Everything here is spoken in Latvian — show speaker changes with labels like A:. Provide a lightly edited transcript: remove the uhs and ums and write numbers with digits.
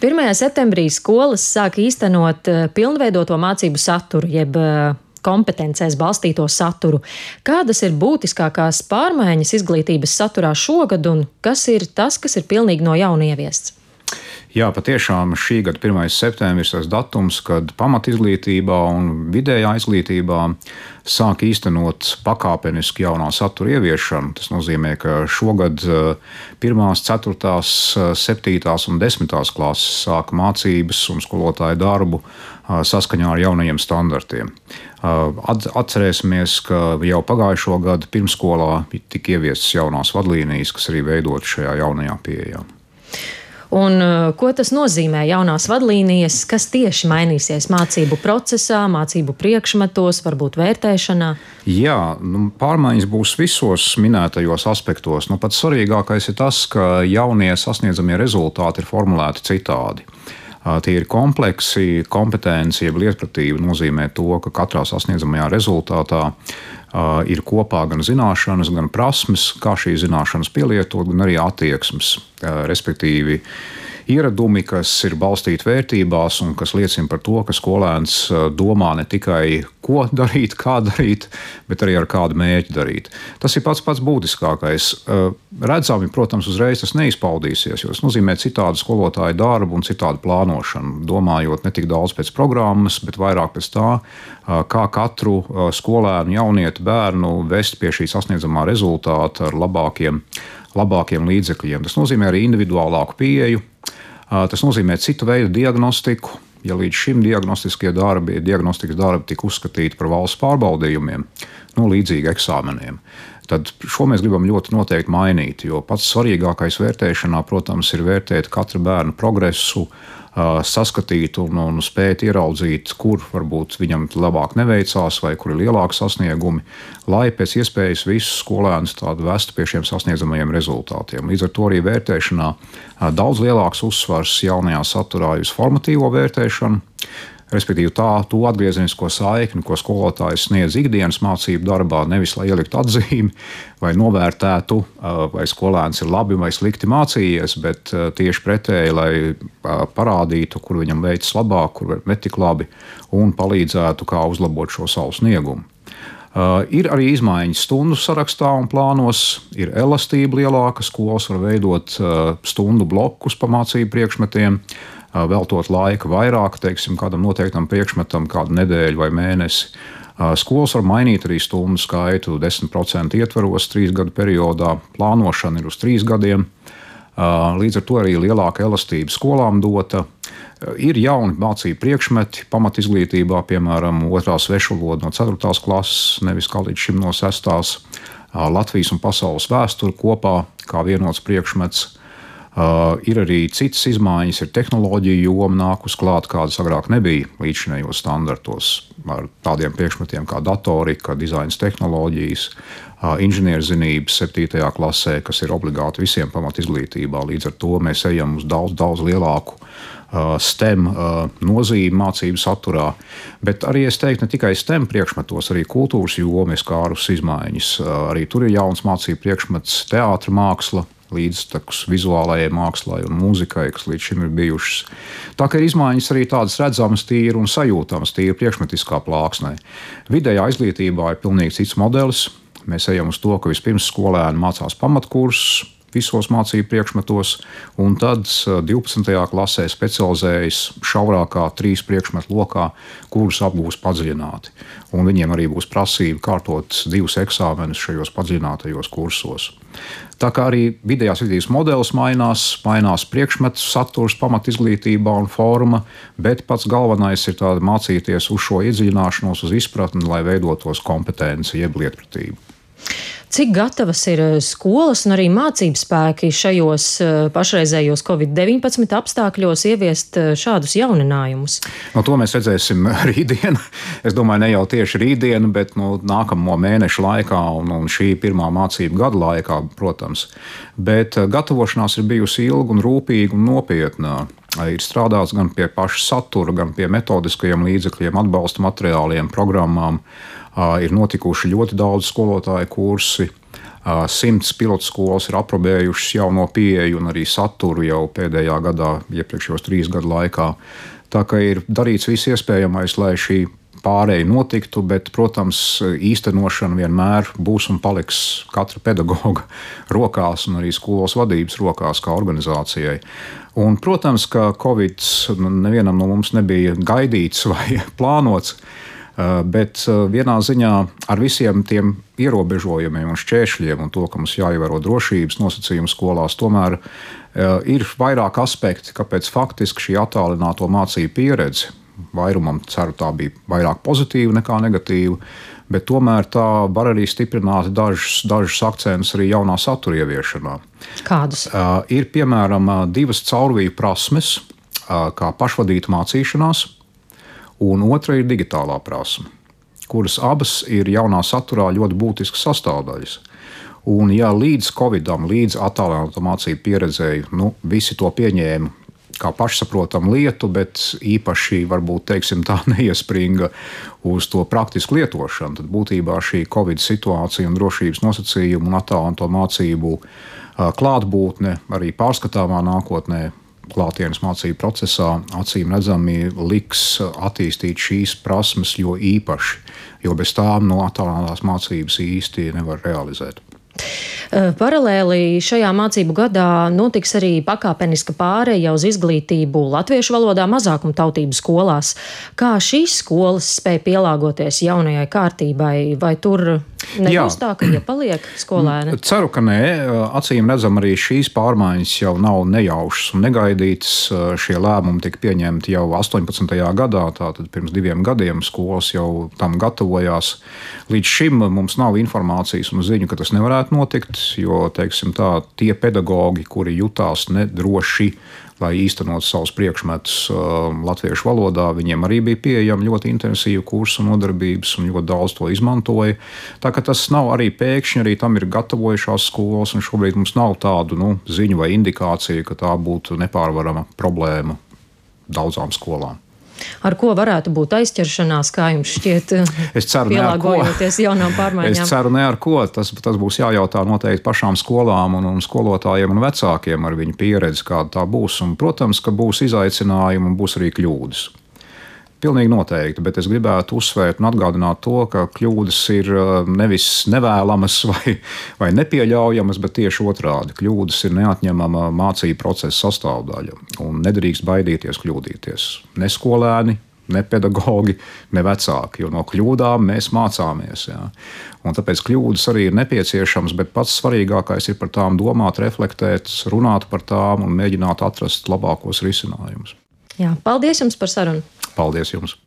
A: 1. septembrī skolas sāk īstenot pilnveidoto mācību saturu, jeb kompetencēs balstīto saturu. Kādas ir būtiskākās pārmaiņas izglītības saturā šogad un kas ir tas, kas ir pilnīgi no jauna ieviests?
B: Jā, patiešām šī gada 1. septembris ir tas datums, kad pamatizglītībā un vidējā izglītībā sāk īstenot pakāpeniski jaunā satura ieviešanu. Tas nozīmē, ka šogad 1., 4., 7. un 10. klases sāk mācības un skolotāju darbu saskaņā ar jaunajiem standartiem. Atcerēsimies, ka jau pagājušo gadu pirmsskolā tika ieviestas jaunās vadlīnijas, kas arī veidotas šajā jaunajā pieejā.
A: Un ko tas nozīmē jaunās vadlīnijas, kas tieši mainīsies mācību procesā, mācību priekšmetos, varbūt vērtēšanā?
B: Jā, pārmaiņas būs visos minētajos aspektos. Pats svarīgākais ir tas, ka jaunie sasniedzamie rezultāti ir formulēti citādi. Tie ir kompleksi, kompetenci, jeb lietpratība nozīmē to, ka katrā sasniedzamajā rezultātā ir kopā gan zināšanas, gan prasmes, kā šīs zināšanas pielietot, gan arī attieksmes, respektīvi ieradumi, kas ir balstīti vērtībās un kas liecina par to, ka skolēns domā ne tikai ko darīt, kā darīt, bet arī ar kādu mērķi darīt. Tas ir pats būtiskākais. Redzami, protams, uzreiz tas neizpaudīsies, jo tas nozīmē citādu skolotāju darbu un citādu plānošanu, domājot ne tik daudz pēc programmas, bet vairāk pēc tā, kā katru skolēnu, jaunieti, bērnu vest pie šī sasniedzamā rezultāta ar labākiem līdzekļiem. Tas nozīmē arī individuālāku pieeju. Tas nozīmē citu veidu diagnostiku. Ja līdz šim diagnostikas darbi tika uzskatīti par valsts pārbaudījumiem, līdzīgi eksāmeniem, tad šo mēs gribam ļoti noteikti mainīt, jo pats svarīgākais vērtēšanā, protams, ir vērtēt katra bērna progresu, saskatīt un spēt ieraudzīt, kur varbūt viņam labāk neveicās vai kur ir lielāki sasniegumi, lai pēc iespējas visus skolēnus tādu vestu pie šiem sasniedzamajiem rezultātiem. Līdz ar to arī vērtēšanā daudz lielāks uzsvars jaunajā saturā uz formatīvo vērtēšanu, respektīvi to atgriezenisko saikni, ko skolotājs sniedz ikdienas mācību darbā, nevis lai ieliktu atzīmi vai novērtētu, vai skolēns ir labi vai slikti mācījies, bet tieši pretēji, lai parādītu, kur viņam veicas labāk, kur netik labi, un palīdzētu, kā uzlabot šo savu sniegumu. Ir arī izmaiņas stundu sarakstā un plānos, ir elastība lielāka, skolas var veidot stundu blokus pa mācību priekšmetiem, veltot laika vairāk, teiksim, kādam noteiktam priekšmetam, kādu nedēļu vai mēnesi. Skolas var mainīt arī stundu skaitu 10% ietvaros 3 gadu periodā, plānošana ir uz 3 gadiem, līdz ar to arī lielāka elastība skolām dota. Ir jauni mācību priekšmeti pamatizglītībā, piemēram, 2. svešvaloda no 4. klases, nevis kā līdz šim no 6. Latvijas un pasaules vēsture kopā kā vienots priekšmets. Ir arī citas izmaiņas, ir tehnoloģija joma nākus klāt, kādas agrāk nebija līdzinējos standartos, ar tādiem priekšmetiem kā datorika, dizains tehnoloģijas, inženierzinības 7. klasē, kas ir obligāti visiem pamatizglītībā. Līdz ar to mēs ejam uz daudz lielāku STEM nozīmi mācību saturā, bet arī es teiktu ne tikai STEM priekšmetos, arī kultūras joma ir skārus izmaiņas. Arī tur ir jauns mācību priekšmets teātra māksla, līdztekus vizuālajai mākslai un mūzikai, kas līdz šim ir bijušas. Tā kā ir izmaiņas arī tādas redzamas, tīri un sajūtamas, tīri priekšmetiskā plāksnē. Vidējā izglītībā ir pilnīgi cits modelis. Mēs ejam uz to, ka vispirms skolēni mācās pamatkursus visos mācību priekšmetos, un tad 12. klasē specializējas šaurākā 3 priekšmetu lokā, kurus apgūs padziļināti. Un viņiem arī būs prasība kārtot 2 eksāmenus šajos padziļinātajos kursos. Tā kā arī vidējās izglītības modelis mainās priekšmetu saturs pamatizglītībā un forma, bet pats galvenais ir mācīties uz šo iedziļināšanos, uz izpratni, lai veidotos kompetenci jeb lietpratību.
A: Cik gatavas ir skolas un arī mācību spēki šajos pašreizējos Covid-19 apstākļos ieviest šādus jauninājumus?
B: To mēs redzēsim rītdien. Es domāju, ne jau tieši rītdien, bet nākamo mēnešu laikā un šī pirmā mācību gada laikā, protams. Bet gatavošanās ir bijusi ilga un rūpīga un nopietna. Ir strādāts gan pie paša satura, gan pie metodiskajiem līdzekļiem, atbalsta materiāliem, programmām. Ir notikuši ļoti daudz skolotāju kursi. 100 pilotskolas ir aprobējušas jauno pieeju un arī saturu jau pēdējā gadā, iepriekšējos 3 gadu laikā. Tā kā ir darīts viss iespējamais, lai šī pārēja notiktu, bet, protams, īstenošana vienmēr būs un paliks katra pedagoga rokās un arī skolas vadības rokās kā organizācijai. Un, protams, ka Covid nevienam no mums nebija gaidīts vai plānots, bet vienā ziņā ar visiem tiem ierobežojumiem un šķēršļiem un to, ka mums jāievēro drošības nosacījumi skolās, tomēr ir vairāk aspekti, kāpēc faktiski šī attālināto mācību pieredze, vairumam ceru tā bija vairāk pozitīva nekā negatīva, bet tomēr tā var arī stiprināt dažus akcentus arī jaunā satura ieviešanā.
A: Kādus?
B: Ir piemēram 2 caurviju prasmes, kā pašvadīta mācīšanās, un otra ir digitālā prasme, kuras abas ir jaunā saturā ļoti būtiskas sastāvdaļas. Un ja līdz Covidam, līdz attālināto mācību pieredzēji, visi to pieņēma kā pašsaprotamu lietu, bet īpaši varbūt teiksim, tā neiespringa uz to praktisku lietošanu, tad būtībā šī Covid situācija un drošības nosacījumu un attālināto mācību klātbūtne arī pārskatāmā nākotnē klātienes mācību procesā acīm redzami liks attīstīt šīs prasmes jo īpaši, jo bez tām attālinātās mācības īsti nevar realizēt.
A: Paralēli šajā mācību gadā notiks arī pakāpeniska pāreja uz izglītību latviešu valodā mazākumtautību skolās. Kā šīs skolas spēj pielāgoties jaunajai kārtībai, vai tur nebūs tā, ka iepaliek skolēni?
B: Ceru, ka nē. Acīm redzam, arī šīs pārmaiņas jau nav nejaušas un negaidītas. Šie lēmumi tika pieņemti jau 18. gadā, tātad pirms 2 gadiem skolas jau tam gatavojās. Līdz šim mums nav informācijas un ziņu, ka tas nevarētu notikt, jo, teiksim tā, tie pedagogi, kuri jutās nedroši, lai īstenot savus priekšmetus latviešu valodā, viņiem arī bija pieejami ļoti intensīvi kursi un nodarbības, un ļoti daudz to izmantoja. Tā ka tas nav arī pēkšņi, arī tam ir gatavojušās skolas, un šobrīd mums nav tādu ziņu vai indikāciju, ka tā būtu nepārvarama problēma daudzām skolām.
A: Ar ko varētu būt aizķeršanās, kā jums šķiet, pielāgojoties jaunām pārmaiņām?
B: Es ceru ne ar ko. Tas būs jājautā noteikti pašām skolām un skolotājiem un vecākiem ar viņu pieredzi, kāda tā būs. Un, protams, ka būs izaicinājumi un būs arī kļūdas. Pilnīgi noteikti, bet es gribētu uzsvērt un atgādināt to, ka kļūdas ir nevis nevēlamas vai nepieļaujamas, bet tieši otrādi. Kļūdas ir neatņemama mācību procesa sastāvdaļa un nedrīkst baidīties kļūdīties. Ne skolēni, ne pedagogi, ne vecāki, jo no kļūdām mēs mācāmies. Jā. Un tāpēc kļūdas arī ir nepieciešamas, bet pats svarīgākais ir par tām domāt, reflektēt, runāt par tām un mēģināt atrast labākos risinājumus.
A: Jā, paldies jums par sarunu!
B: Paldies jums!